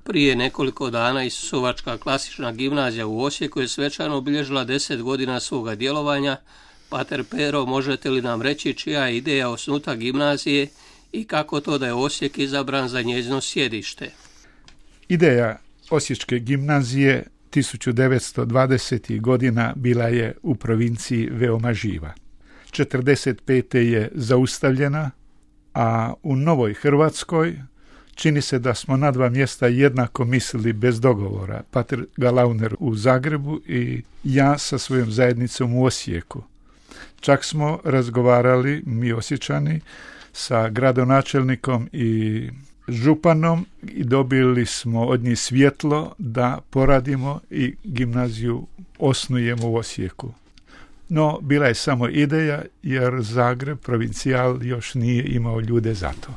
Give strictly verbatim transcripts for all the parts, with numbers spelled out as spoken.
Prije nekoliko dana Isusovačka klasična gimnazija u Osijeku je svečano obilježila deset godina svoga djelovanja. Pater Pero, možete li nam reći čija je ideja osnutka gimnazije i kako to da je Osijek izabran za njezino sjedište? Ideja Osječke gimnazije tisuću devetsto dvadesetih godina bila je u provinciji veoma živa. četrdeset pete je zaustavljena, a u Novoj Hrvatskoj čini se da smo na dva mjesta jednako mislili bez dogovora. Pater Galauner u Zagrebu i ja sa svojom zajednicom u Osijeku. Čak smo razgovarali, mi Osječani, sa gradonačelnikom i županom i dobili smo od njih svjetlo da poradimo i gimnaziju osnujemo u Osijeku. No, bila je samo ideja jer Zagreb, provincijal, još nije imao ljude za to.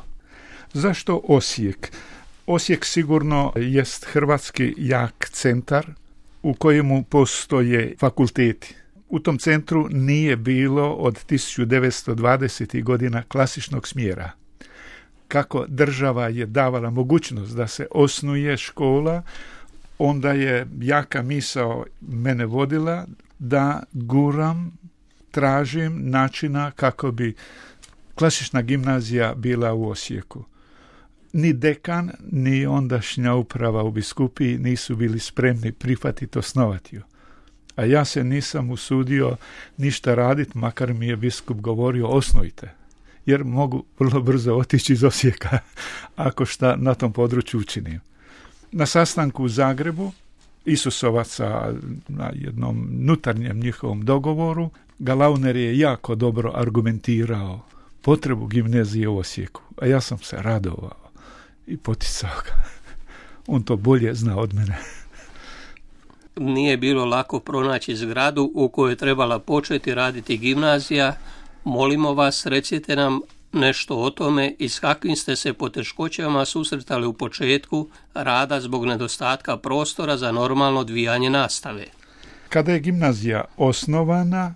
Zašto Osijek? Osijek sigurno jest hrvatski jak centar u kojemu postoje fakulteti. U tom centru nije bilo od tisuću devetsto dvadesetih godina klasičnog smjera. Kako država je davala mogućnost da se osnuje škola, onda je jaka misao mene vodila da guram, tražim načina kako bi klasična gimnazija bila u Osijeku. Ni dekan, ni ondašnja uprava u biskupiji nisu bili spremni prihvatiti osnovati ju. A ja se nisam usudio ništa raditi, makar mi je biskup govorio osnujte, jer mogu vrlo brzo otići iz Osijeka ako šta na tom području učinim. Na sastanku u Zagrebu Isusovaca na jednom nutarnjem njihovom dogovoru Galauner je jako dobro argumentirao potrebu gimnazije u Osijeku, a ja sam se radovao i poticao ga. On to bolje zna od mene. Nije bilo lako pronaći zgradu u kojoj je trebala početi raditi gimnazija. Molimo vas, recite nam nešto o tome i s kakvim ste se poteškoćama susretali u početku rada zbog nedostatka prostora za normalno odvijanje nastave. Kada je gimnazija osnovana,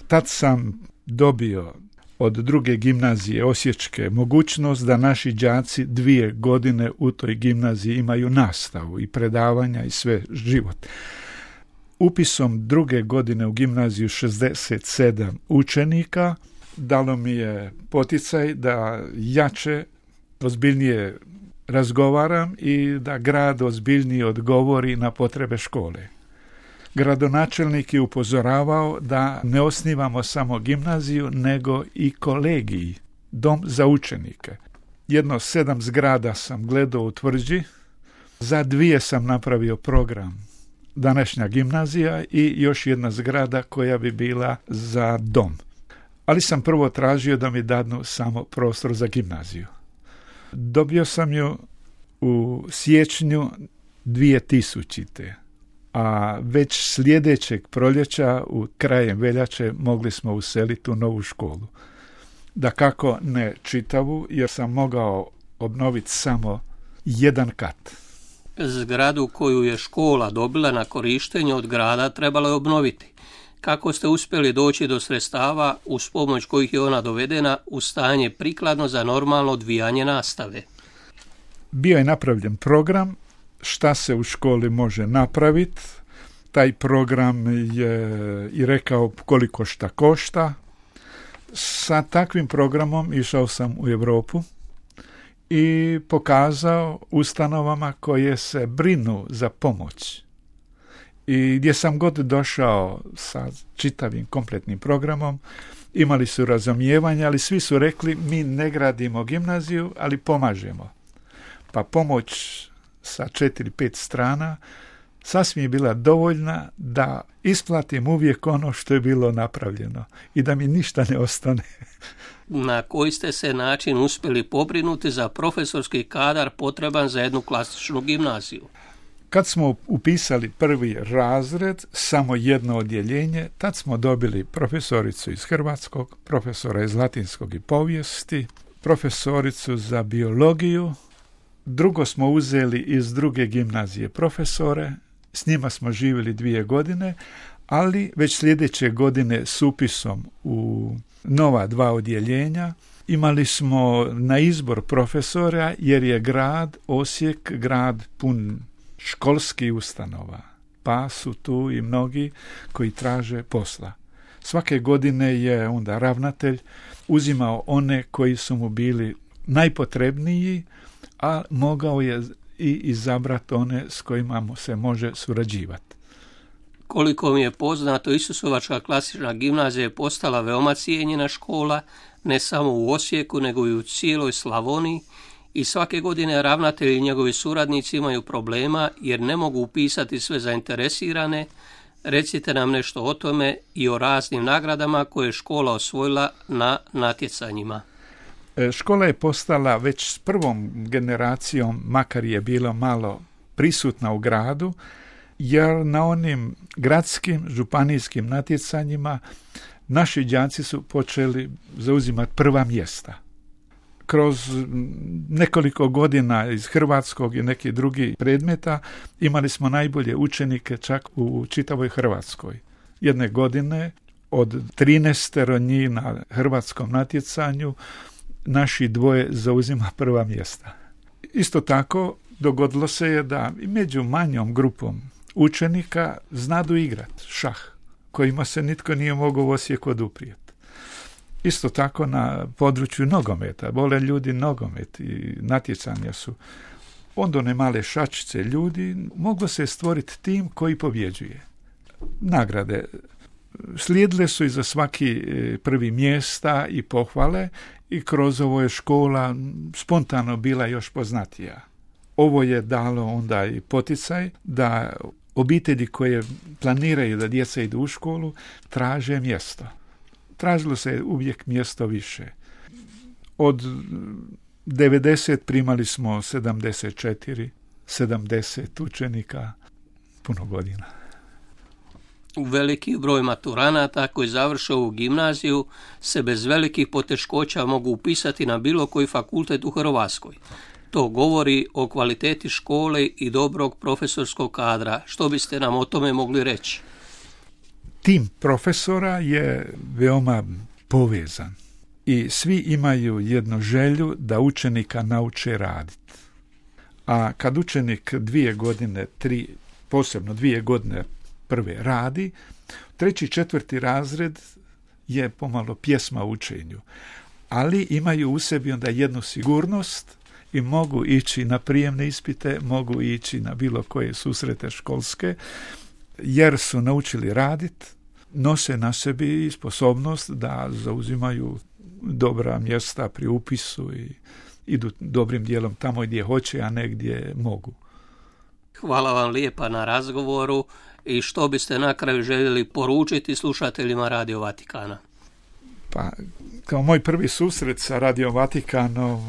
tad sam dobio od druge gimnazije Osječke mogućnost da naši đaci dvije godine u toj gimnaziji imaju nastavu i predavanja i sve život. Upisom druge godine u gimnaziju šezdeset sedam učenika dalo mi je poticaj da jače, ozbiljnije razgovaram i da grad ozbiljnije odgovori na potrebe škole. Gradonačelnik je upozoravao da ne osnivamo samo gimnaziju, nego i kolegiji, dom za učenike. Jedno sedam zgrada sam gledao u Tvrđi, za dvije sam napravio program današnja gimnazija i još jedna zgrada koja bi bila za dom. Ali sam prvo tražio da mi dadnu samo prostor za gimnaziju. Dobio sam ju u siječnju dvije tisućite. A već sljedećeg proljeća u krajem veljače mogli smo useliti u novu školu. Dakako ne čitavu, jer sam mogao obnoviti samo jedan kat. Zgradu koju je škola dobila na korištenje od grada trebalo je obnoviti. Kako ste uspjeli doći do sredstava uz pomoć kojih je ona dovedena u stanje prikladno za normalno odvijanje nastave? Bio je napravljen program šta se u školi može napraviti. Taj program je i rekao koliko šta košta. Sa takvim programom išao sam u Europu i pokazao ustanovama koje se brinu za pomoć. I gdje sam god došao sa čitavim kompletnim programom, imali su razumijevanje, ali svi su rekli mi ne gradimo gimnaziju, ali pomažemo. Pa pomoć sa četiri, pet strana sasvim je bila dovoljna da isplatim uvijek ono što je bilo napravljeno i da mi ništa ne ostane. Na koji ste se način uspjeli pobrinuti za profesorski kadar potreban za jednu klasičnu gimnaziju? Kad smo upisali prvi razred, samo jedno odjeljenje, tad smo dobili profesoricu iz hrvatskog, profesora iz latinskog i povijesti, profesoricu za biologiju. Drugo smo uzeli iz druge gimnazije profesore, s njima smo živjeli dvije godine, ali već sljedeće godine s upisom u nova dva odjeljenja Imali smo na izbor profesora jer je grad Osijek grad pun školskih ustanova, pa su tu i mnogi koji traže posla. Svake godine je onda ravnatelj uzimao one koji su mu bili najpotrebniji, a mogao je i izabrati one s kojima mu se može surađivati. Koliko mi je poznato, Isusovačka klasična gimnazija je postala veoma cijenjena škola, ne samo u Osijeku, nego i u cijeloj Slavoniji, i svake godine ravnatelji i njegovi suradnici imaju problema jer ne mogu upisati sve zainteresirane. Recite nam nešto o tome i o raznim nagradama koje je škola osvojila na natjecanjima. Škola je postala već s prvom generacijom, makar je bilo malo prisutna u gradu, jer na onim gradskim, županijskim natjecanjima naši đaci su počeli zauzimati prva mjesta. Kroz nekoliko godina iz hrvatskog i nekih drugih predmeta imali smo najbolje učenike čak u čitavoj Hrvatskoj. Jedne godine od trinaest njih na hrvatskom natjecanju naši dvoje zauzima prva mjesta. Isto tako dogodilo se je da i među manjom grupom učenika znadu igrati šah, kojima se nitko nije mogao u Osijeku oduprijeti. Isto tako na području nogometa, vole ljudi nogomet i natjecanja su. Onda one male šačice ljudi, moglo se stvoriti tim koji pobjeđuje. Nagrade slijedile su i za svaki prvi mjesta i pohvale i kroz ovo je škola spontano bila još poznatija. Ovo je dalo onda i poticaj da obitelji koje planiraju da djeca idu u školu traže mjesto. Tražilo se uvijek mjesto više. Od devedeset primali smo sedamdeset četiri, sedamdeset učenika, puno godina. Veliki broj maturanata koji završe ovu gimnaziju se bez velikih poteškoća mogu upisati na bilo koji fakultet u Hrvatskoj. To govori o kvaliteti škole i dobrog profesorskog kadra. Što biste nam o tome mogli reći? Tim profesora je veoma povezan i svi imaju jednu želju da učenika nauče raditi. A kad učenik dvije godine, tri, posebno dvije godine prve radi, treći, četvrti razred je pomalo pjesma u učenju. Ali imaju u sebi onda jednu sigurnost i mogu ići na prijemne ispite, mogu ići na bilo koje susrete školske, jer su naučili raditi, nose na sebi sposobnost da zauzimaju dobra mjesta pri upisu i idu dobrim dijelom tamo gdje hoće, a ne gdje mogu. Hvala vam lijepa na razgovoru i što biste na kraju željeli poručiti slušateljima Radio Vatikana? Pa, kao moj prvi susret sa Radio Vatikanom,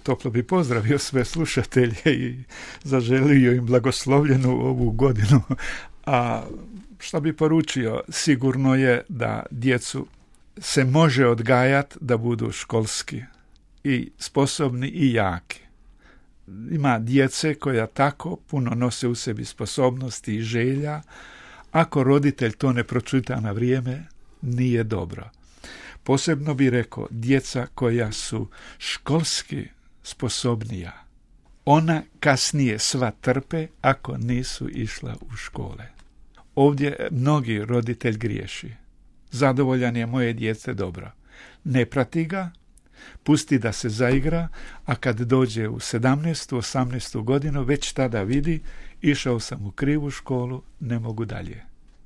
toplo bi pozdravio sve slušatelje i zaželio im blagoslovljenu ovu godinu. A što bi poručio? Sigurno je da djecu se može odgajati da budu školski i sposobni i jaki. Ima djece koja tako puno nose u sebi sposobnosti i želja. Ako roditelj to ne pročita na vrijeme, nije dobro. Posebno bi rekao, djeca koja su školski sposobnija, ona kasnije sva trpe ako nisu išla u škole. Ovdje mnogi roditelj griješi. Zadovoljan je moje djece dobro. Ne prati ga, pusti da se zaigra, a kad dođe u sedamnaestu, osamnaestu godinu, već tada vidi, išao sam u krivu školu, ne mogu dalje.